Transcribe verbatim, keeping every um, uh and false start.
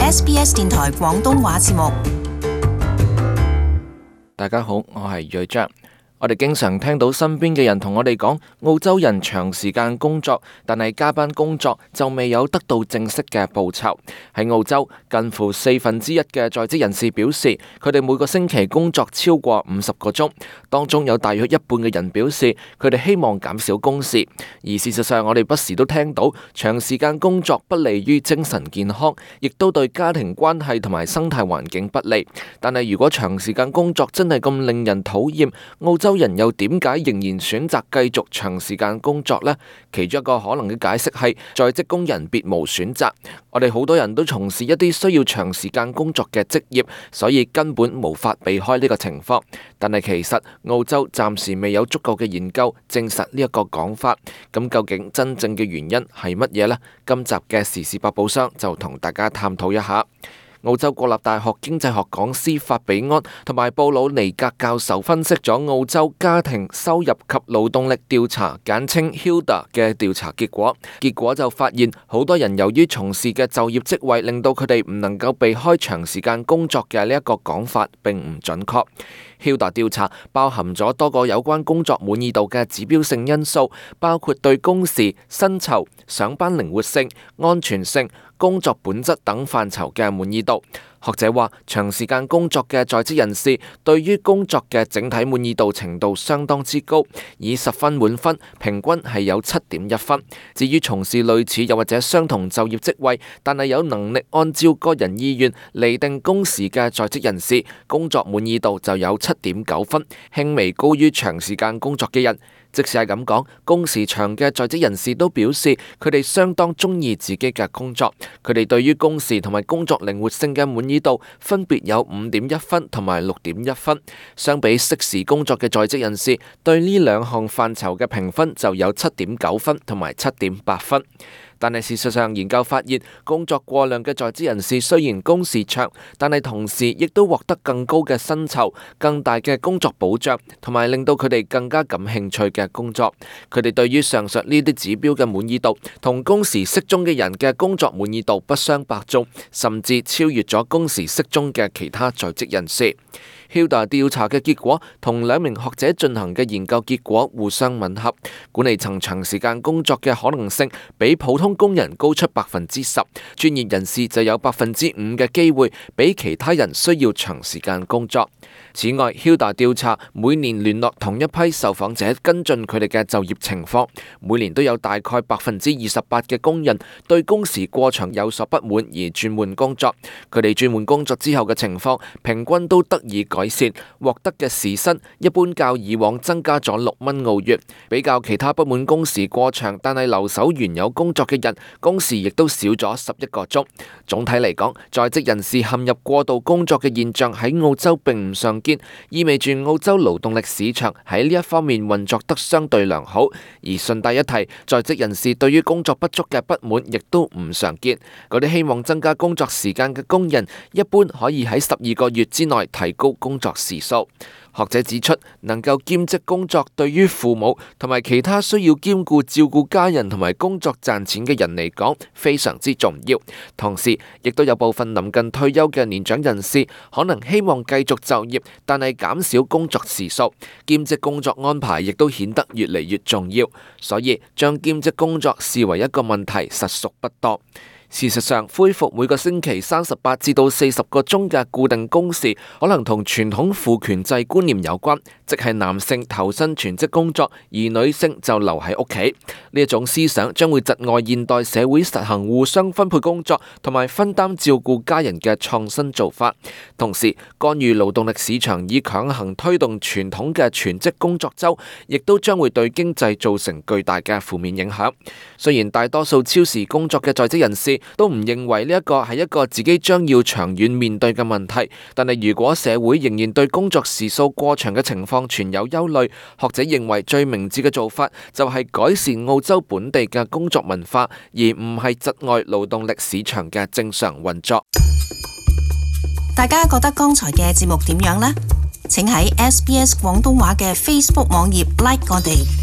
S B S 電台廣東話節目。大家好，我係睿章。我哋經常聽到身邊嘅人同我哋講，澳洲人長時間工作，但係加班工作就未有得到正式嘅報酬。喺澳洲，近乎四分之一嘅在職人士表示，佢哋每個星期工作超過五十個鐘，當中有大約一半嘅人表示，佢哋希望減少工時。而事實上，我哋不時都聽到，長時間工作不利於精神健康，亦都對家庭關係同埋生態環境不利。但係如果長時間工作真係咁令人討厭，澳洲人又點解仍然選擇繼續長時間工作呢？其中一個可能嘅解釋係在職工人別無選擇。我哋好多人都從事一啲需要長時間工作嘅職業，所以根本無法避開呢個情況。但係其實澳洲暫時未有足夠嘅研究證實呢一個講法。咁究竟真正嘅原因係乜嘢呢？今集嘅時事百寶箱就同大家探討一下。澳洲國立大學經濟學講師法比安同埋布魯尼格教授分析咗澳洲家庭收入及勞動力調查簡稱 Hilda 嘅調查結果，結果就發現好多人由於從事嘅就業職位令到佢哋唔能夠避開長時間工作嘅呢一個講法並唔準確。Hilda 調查包含咗多個有關工作滿意度嘅指標性因素，包括對工時、薪酬、上班靈活性、安全性、工作本質等範疇嘅滿意度。學者話，長時間工作嘅在職人士對於工作嘅整體滿意度程度相當之高，以十分滿分，平均係有七點一分。至於從事類似又或者相同就業職位，但係有能力按照個人意願釐定工時嘅在職人士，工作滿意度就有七點九分，輕微高於長時間工作嘅人。即使係咁講，工時長嘅在職人士都表示，佢哋相當中意自己嘅工作。佢哋對於工時同埋工作靈活性嘅滿意度分別有五點一分同埋六點一分。相比適時工作嘅在職人士，對呢兩項範疇嘅評分就有七點九分同埋七點八分。但係事實上，研究發現，工作過量嘅在職人士雖然工時長，但係同時亦都獲得更高嘅薪酬、更大嘅工作保障，同埋令到佢哋更加感興趣嘅工作。佢哋對於上述呢啲指標嘅滿意度，同工時適中嘅人嘅工作滿意度不相伯仲，甚至超越咗工時適中嘅其他在職人士。Hilda 調查嘅結果同兩名學者進行嘅研究結果互相吻合，管理層長時間工作嘅可能性比普通工人高出百分之十，專業人士就有百分之五嘅機會比其他人需要長時間工作。此外， Hilda 調查每年聯絡同一批受訪者跟進佢哋嘅就業情況，每年都有大概百分之二十八嘅工人對工時過長有所不滿而轉換工作。佢哋轉換工作之後嘅情況平均都得以改善，獲得嘅時薪一般較以往增加咗六蚊澳元，比較其他不滿工時過長但係留守原有工作嘅人，工時亦都少咗十一個鐘。總體嚟講，在職人士陷入過度工作嘅現象喺澳洲並唔常見，意味住澳洲勞動力市場喺呢一方面運作得相對良好。而順帶一提，在職人士對於工作不足嘅不滿亦都唔常見。嗰啲希望增加工作時間嘅工人，一般可以喺十二個月之內提高工作時數。學者指出，能夠兼職工作對於父母同埋其他需要兼顧照顧家人同埋工作賺錢嘅人嚟講非常之重要。同時，亦都有部分臨近退休嘅年長人士可能希望繼續就業，但係減少工作時數。兼職工作安排亦都顯得越嚟越重要，所以將兼職工作視為一個問題實屬不多。事實上，恢復每個星期三十八至到四十個鐘嘅固定工時，可能同傳統父權制觀念有關，即係男性投身全職工作，而女性就留喺屋企。呢一種思想將會窒礙現代社會實行互相分配工作同埋分擔照顧家人嘅創新做法。同時，干預勞動力市場以強行推動傳統嘅全職工作週，亦都將會對經濟造成巨大嘅負面影響。雖然大多數超時工作嘅在職人士都唔認為呢一個係一個自己將要長遠面對嘅問題，但係如果社會仍然對工作時數過長嘅情況存有憂慮，學者認為最明智嘅做法就係改善澳洲本地嘅工作文化，而唔係窒礙勞動力市場嘅正常運作。大家覺得剛才嘅節目點樣呢？請喺 S B S 廣東話嘅 Facebook 網頁 like 我哋。